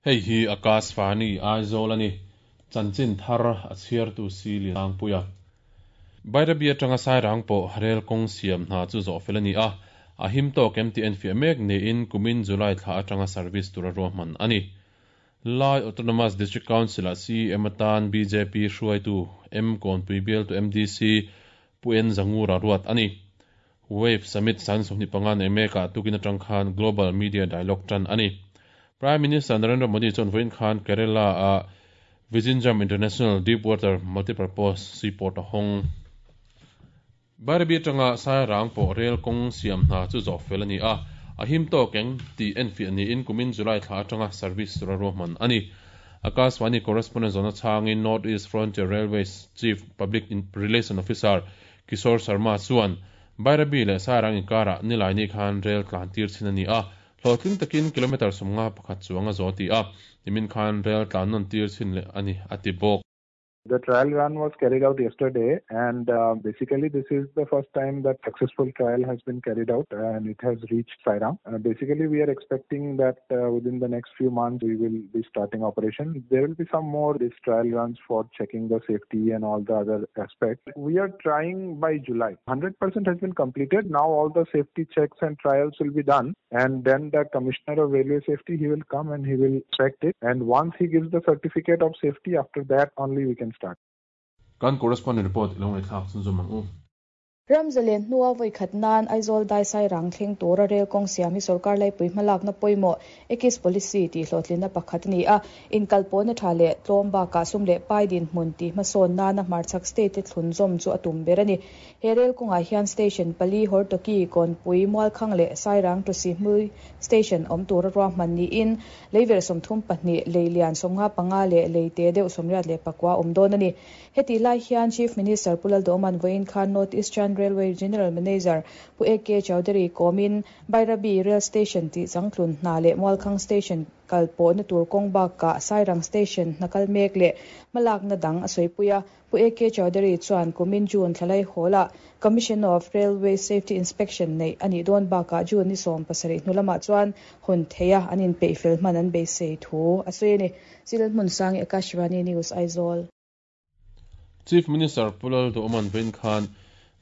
Hei hi Akashvani Aizawl a ni. Chanchin thar a chhiartu si Lianpuia. Bairabi atanga Sairang pawh rel kawng siam hna chu zawh fel a ni a, a him tawk em tih enfiah mek niin kumin July thla atanga service tura ruahman a ni. Lai Autonomous District Council-ah CEM atan bjp hruaitu M Kawnpui bialtu MDC Pu N Zangura ruat a ni. Wave Summit san 25 nei mekah tukin atang khan Global Media Dialogue tan a ni. Prime Minister Narendra Modi chuan vawiin khan Kerala-a Vizhinjam International Deepwater Multipurpose Seaport a hawng. Bairabi atanga Sairang pawh rel kawng siam hna chu zawh fel a ni a, a him tawk eng tih enfiah niin kumin July thla atanga service tura ruahman a ni. Akashvani correspondent zawhna chhangin North East Frontier Railways Chief Public Relation Officer Kishore Sharma chuan Bairabi leh Sairang inkarah Nilaini khan rel tlan tir chhin a ni a, hlawhtling takin kilometre 51 chuang a zo ti a, nimin khan rel tlan nawn tir chhin leh a ni a ti bawk. The trial run was carried out yesterday, and basically this is the first time that successful trial has been carried out and it has reached Sairang. Basically, we are expecting that within the next few months we will be starting operation. There will be some more these trial runs for checking the safety and all the other aspects. We are trying by July. 100% has been completed. Now all the safety checks and trials will be done, and then the Commissioner of Railway Safety, he will come and he will inspect it. And once he gives the certificate of safety, after that only we can start. Kan correspondent report ilo ngaihthlak chhunzawm ang u. Ramzalen hnua vawi khat nan Aizawl dai Sairang thleng tura rel kawng siam hi sorkar laipui hmalakna pawimawh Ekis Policy tih hlawhtlinna pakhat a ni a. Inkalpawhna tha leh tlawm bakah sum leh pai dinhmun tih hmasawn nana hmarchhak state te thlunzawm chu a tum ber a ni. He rel kawngah hian station pali Hortoki, Kawnpui, Mualkhang leh Sairang to Sihhmui station awm tura ruahman niin leiverh 32, lei lian 55 leh lei te deuh 84 awm dawn a ni. Hetih lai hian Chief Minister Pu Lalduhoman vawiin khan North Eastern Railway General Manager Pu AK Chaudhary kawmin Bairabi Rail Station tih changtlun hna leh Mualkhang Station kal pawhna tur kawng bakah Sairang Station hna kal mek leh hmalakna dang a sawipui a. Pu AK Chaudhary chuan kumin June thlalai hawlah Commission of Railway Safety Inspection neih a nih dawn bakah June ni 70 hnu lamah chuan hawn theia an inpeih fel hman an beisei thu a sawi a ni. Chil Hmunsangi Akashvani News Aizawl. Chief Minister Pu Lalduhoman vawiin khan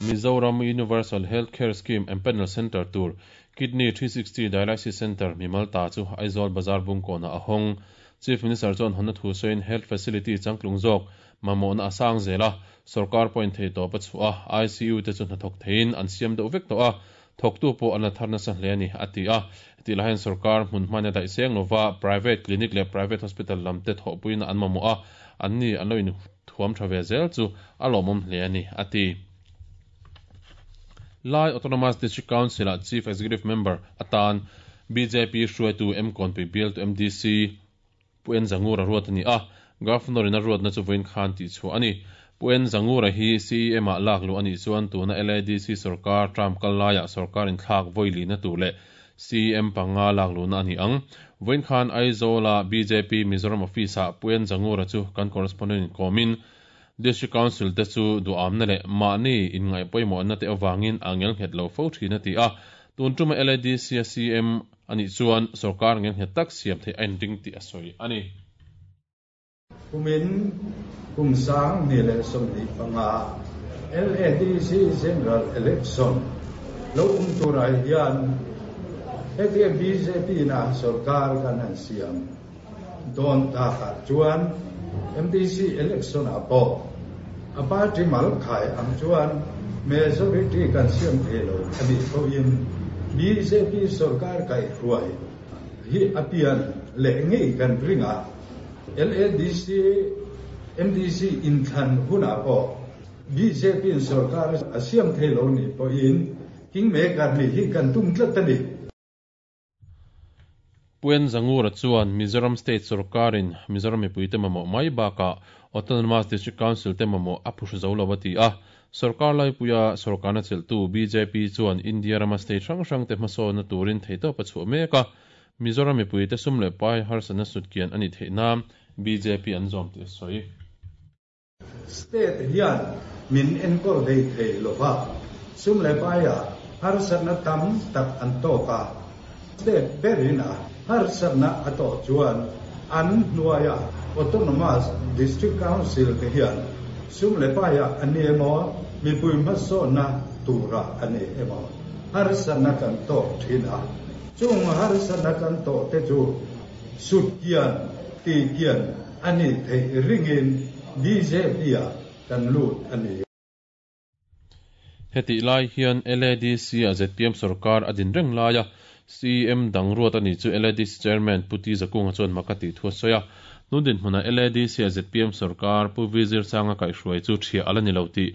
Mizoram Universal Health Care Scheme Empanel Centre tur Kidney 360 Dialysis Centre mimal ta chu Aizawl Bazar Bungkawnah a hawng. Chief Minister chuan hawnna thu sawiin health facility changtlung zawk mamawhna a sang zel a, sorkar pawhin thei tawp a chhuah a, ICU te chu hnathawk theiin an siam deuh vek tawh a, thawktu pawh an la thar nasa hle a ni, a ti a. Hetih lai hian sorkar hmun hmain a daih seng lova, private clinic leh private hospital lam te thawhpuiin an mamawh a, anni an lo inthuam tha ve zel chu a lawmawm hle a ni, a ti. Lai Autonomous District Council-ah Chief Executive Member atan bjp hruaitu M Kawnpui bialtu MDC Pu N Zangura ruat a ni a, Governor in a ruatna chu vawiin khan tihchhuah a ni. Pu N Zangura hi CEM ah lak luh a nih chuan tuna LADC sorkar term kal laiah sorkar inthlak vawi lihna tur leh CEM panga lak luhna a ni ang. Vawiin khan Aizawl-a bjp Mizoram Office ah Pu N Zangura chu kan correspondent in kawmin District Council te chu duhamna leh mahni inngaih pawimawhna te avangin a ngelnghet lo fo thin a ti a, tun tuma LADC a CEM a nih chuan sorkar ngelnghet tak siam theih a inring tih a sawi a ni. Kumin kum 2025 LADC General Election lo awm turah hian hetia bjp na sorkar kan han siam dawn takah chuan MDC election ah pawh a party mal khai ang chuan majority kan siam thei lo a nih pawhin bjp sorkar kaihhruai hi a pian leh ngei kan ring a, LADC MDC inthlan hunah pawh bjp in sorkar a siam thei lo nih pawhin kingmaker nih hi kan tum tlat a ni. Pu N Zangura chuan Mizoram State sorkarin Mizoram mipuite mamawh mai bakah Autonomous District Council te mamawh a phuhru zo lo a ti a. Sorkar laipuia sorkarna chelhtu bjp chuan India rama state hrang hrang te hmasawnna turin theihtawp a chhuah mek a, Mizoram mipuite sum leh pai harsatna sutkian a nih theih nan bjp an zawm tih a sawi. State hian min enkawl hlei thei lo va, sum leh paiah harsatna tam tak an tawk a. State berin a harsatna a tawh chuan an hnuaia Autonomous District Council te hian sum leh paiah a ni emaw, mipui hmasawnna turah a ni emaw harsatna kan tawk thin a. Chung harsatna kan tawh te chu sut kian, ti kian a nih theih ringin BJP-ah kan lut a ni. Hetih lai hian LADC-ah zpm sorkar a din reng laia CEM dang ruat a nih chu LADC Chairman Pu Ti Zakunga chuan mak a tih thu a sawi a. Tun dinhmunah LADC-ah zpm sorkar Pu Vi Zirsanga kaihhruai chu thiah a la ni lo tih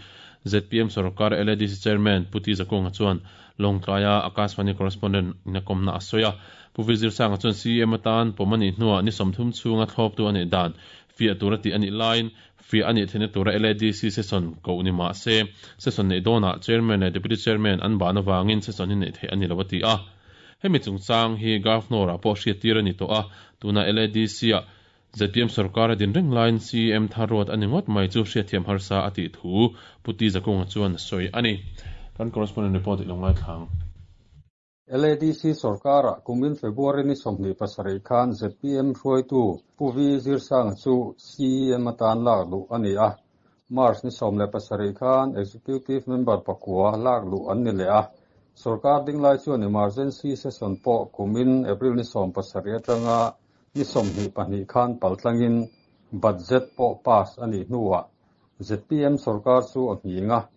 zpm sorkar LADC Chairman Pu Ti Zakunga chuan Lawngtlaia Akashvani Correspondent in a kawmna a sawi a. Pu Vi Zirsanga chuan CEM atan pawm a nih hnuah ni 30 chhunga thlawptu a neih dan fiah tur a tih a nih laiin Fiah a nih theihna tura LADC session koh ni mah se, session neih dawnah Chairman leh Deputy Chairman an ban avangin session hi neih theih a ni lo a ti a. Hemi chungchang hi Governor-ah pawh hriattir a ni tawh a, tuna LADC-ah zpm sorkar a din reng laiin CEM thar ruat a ni ngawt mai chu hriatthiam harsa a tih thu Pu Ti Zakunga chuan a sawi a ni. Kan correspondent report i lo ngaithla ang. LADC sorkarah kumin February ni 27 khan zpm hruaitu Pu Vi Zirsanga chu CEM atan lak luh a ni a. March ni 17 khan Executive Member pakua lak luh an ni leh a. Sorkar dinglai chuan Emergency Session pawh kumin April ni 17 atanga ni 22 khan paltlangin Budget pawh pass a nih hnuah zpm sorkar chu a nghing a.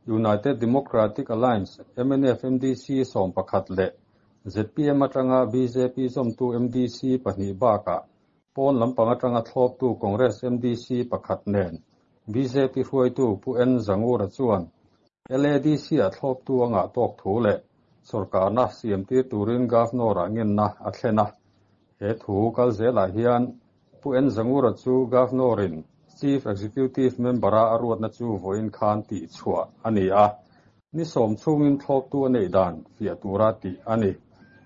United Democratic Alliance, mnf MDC 11 leh zpm atanga BJP zawmtu MDC pahnih bakah pawn lampang atanga thlawptu Congress MDC pakhat nen BJP hruaitu Pu N Zangura chuan LADC-ah thlawptu anga tawk thu leh sorkarna siamtir turin Governor-ah ngenna a thlen a. He thu kal zelah hian Pu N Zangura chu Governor-in Chief Executive Member-a a ruatna chu vawiin khan tih chhuah a ni a. Ni sawm chhungin thlawptu a neih dan fiah tura tih a ni.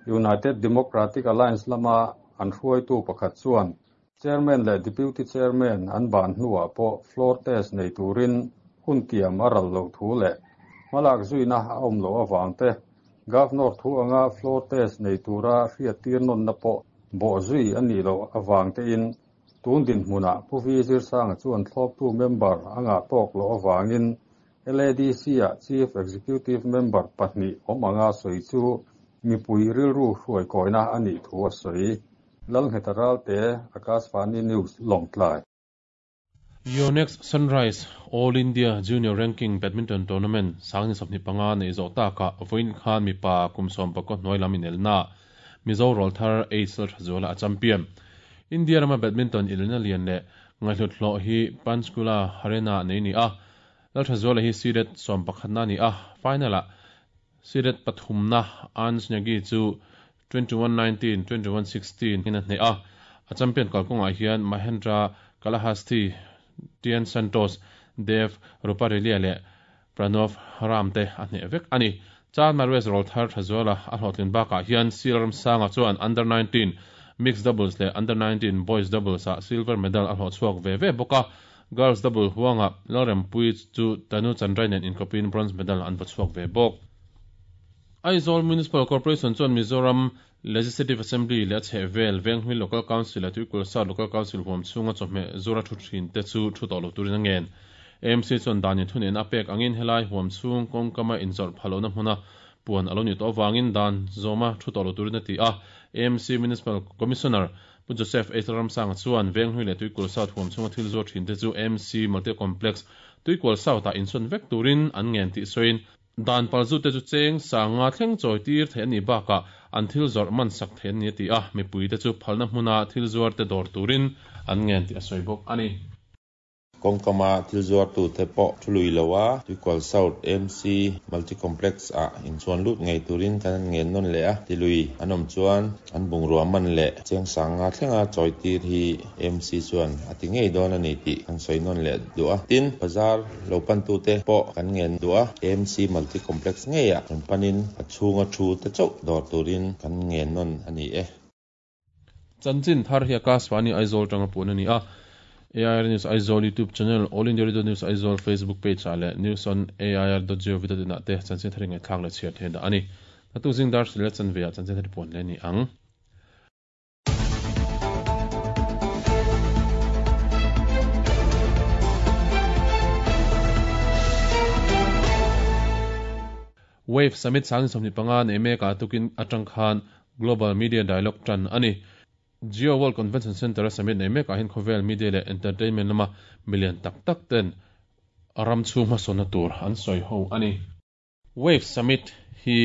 United Democratic Alliance lama an hruaitu pakhat chuan Chairman leh Deputy Chairman an ban hnuah pawh floor test nei turin hun tiam a ral loh thu leh hmalak zuina a awm loh avang te, Governor thu anga floor test nei tura hriattir nawnna pawh bawh zui a nih loh avang tein tun dinhmunah Pu Vi Zirsanga chuan thlawptu member a ngah tawk loh avangin LADC-ah Chief Executive Member pahnih awm anga sawi chu mipui rilru hruaikawina a nih thu a sawi. Lalngheta Ralte, Akashvani News, Lawngtlai. Yonex Sunrise All India Junior Ranking Badminton Tournament 2025 nei zawh takah vawiin khan mipa kum 19 hnuai lam inelnaah Mizo rawlthar H Lalthazuala a champion. India rama badminton inelna lian leh ngaihhlut hlawh hi Panchkula Haryana nei ni a, Lalthazuala hi seeded 11na a ni a, final-ah seeded pathumna Ansh Negi chu 21-19, 21-16 in a hneh a. A champion kalkawngah hian Mahendra Kalahasti, Tian Santos, Dev Ruparelia leh Pranav Ram te a hneh vek a ni. Chan Marues rawlthar Thazuala a hlawhtlin bakah hian Seal Ramsanga chuan Under 19 Mixed Doubles leh Under 19 Boys Doubles ah silver medal a hlawh chhuak ve ve bawk a. Girls Double huangah Lalrempuii chu Tanu Chandrai nen inkawpin bronze medal an va chhuak ve bawk. Aizawl Municipal Corporation chuan Mizoram Legislative Assembly leh a chhehvel Venghlui Local Council leh Tuikul South Local Council huam chhunga chawhmeh zura thu thin te chu thu tawh lo turin a ngen. AMC chuan dan inthunehna a pek angin helai huam chhung kawngkama inzawrh phah lohna hmuna puan a lo nih tawh avangin dan zawma thu tawh lo turin a ti a. AMC Municipal Commissioner Pu Joseph H. Ramsanga chuan Venghlui leh Tuikul South huam chhunga thil zuar thin te chu AMC Multi Complex Tuikual South-ah insawn vek turin an ngen tih sawiin Dan palzute chu cheng sanga thleng chawi tir theih a nih bakah an thil zawrh man sak theih an ni a ti a, mipuite chu phalna hmuna thil zuarte dawr turin an ngen tih a sawi bawk a ni. Kawngkama thil zuartute pawh thu lui lo a, Tuikual South MC Multi Complex ah inchuan lut ngei turin kan an ngen nawn leh a, ti lui an awm chuan an bungrua man leh cheng sanga thlenga chawi tir hi MC chuan a ti ngei dawn a ni tih kan sawi nawn leh duh a. Tin, bazar lo pantute pawh kan ngen duh a, AMC Multi Complex ngeiah rawn panin a chhunga thu te chauh dawr turin kan ngen nawn a ni e. Chanchin thar hi Akashvani Aizawl tanga puan a ni a. AIR News Aizawl YouTube channel, All India Radio News Aizawl Facebook page ah leh News on AIR dot gov dot in ah te chanchin thar ingaihthlak leh chhiar theih dah a ni. Naktuk zing dar hril leh chanve ah chanchin thar i puan leh a ni ang. Wave Summit 2025 nei mekah tukin atang khan Global Media Dialogue tan a ni. Jio World Convention Centre-a summit nei mekah hian khawvel media leh entertainment lama milian tak tak ten ram chhung hmasawnna tur an sawi ho a ni. Wave Summit hi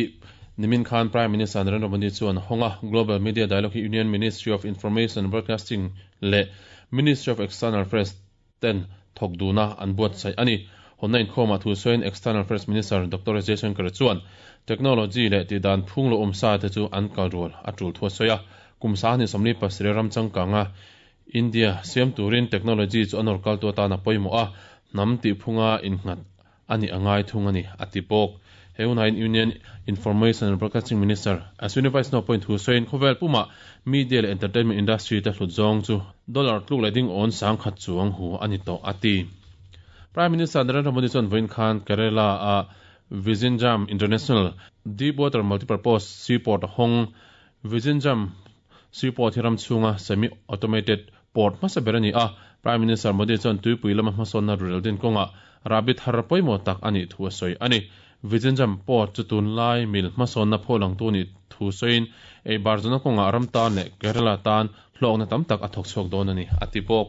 nimin khan Prime Minister Narendra Modi chuan a hawng a, Global Media Dialogue hi Union Ministry of Information and Broadcasting leh Ministry of External Affairs ten thawk duna an buatsaih a ni. Hawnna inkhawmah thu sawiin External Affairs Minister Doctor S Jaishankar chuan technology leh tihdan phung lo awmsa te chu an kal rual a tul thu a sawi a, kum 27 ram changkanga India siam turin technology chu a nawr kaltu atan a pawimawh a, hnam tihphunga innghat a nih a ngai thung a ni, a ti bawk. He hunah Union Information and Broadcasting Minister Ashwini Vaishnaw pawhin thu sawiin khawvel pumah media leh entertainment industry te hlut zawng chu dollar tluk leh ding awn 10,000 chuang hu a ni tawh, a ti. Prime Minister Narendra Modi chuan vawiin khan Kerala-a Vizhinjam International Deepwater Multipurpose Seaport a hawng. Vizhinjam Seaport hi ram chhunga semi-automated port hmasa ber a ni a, Prime Minister Modi chuan tuipui lama hmasawnna rurel din kawngah rahbi thar pawimawh tak a nih thu a sawi a ni. Vizhinjam Port chu tunlai mil hmasawnna phawlangtu nih thu sawiin ei bar zawhna kawngah ram tan leh Kerala tan hlawkna tam tak a thawk chhuak dawn a ni, a ti bawk.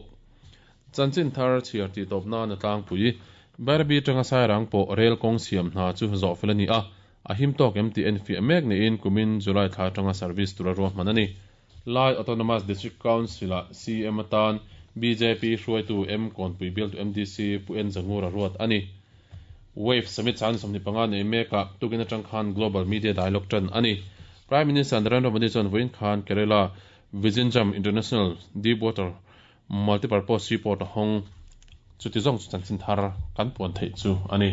Chanchin thar chhiar tih tawp nan a tlangpui. Bairabi atanga Sairang pawh rel kawng siam hna chu zawhfel a ni a, a him tawk em tih enfiah mek niin kumin July thla atanga service tura ruahman a ni. Lai Autonomous District Council-ah CM atan bjp hruaitu M Kawnpui bialtu MDC Pu N Zangura ruat a ni. Wave Summit 25 nei mekah tukin atang khan Global Media Dialogue tan a ni. Prime Minister Narendra Modi chuan vawiin khan Kerala Vizhinjam International Deepwater Multipurpose Seaport a hawng. Chuti zawng chu chanchin thar kan puan theih chu a ni.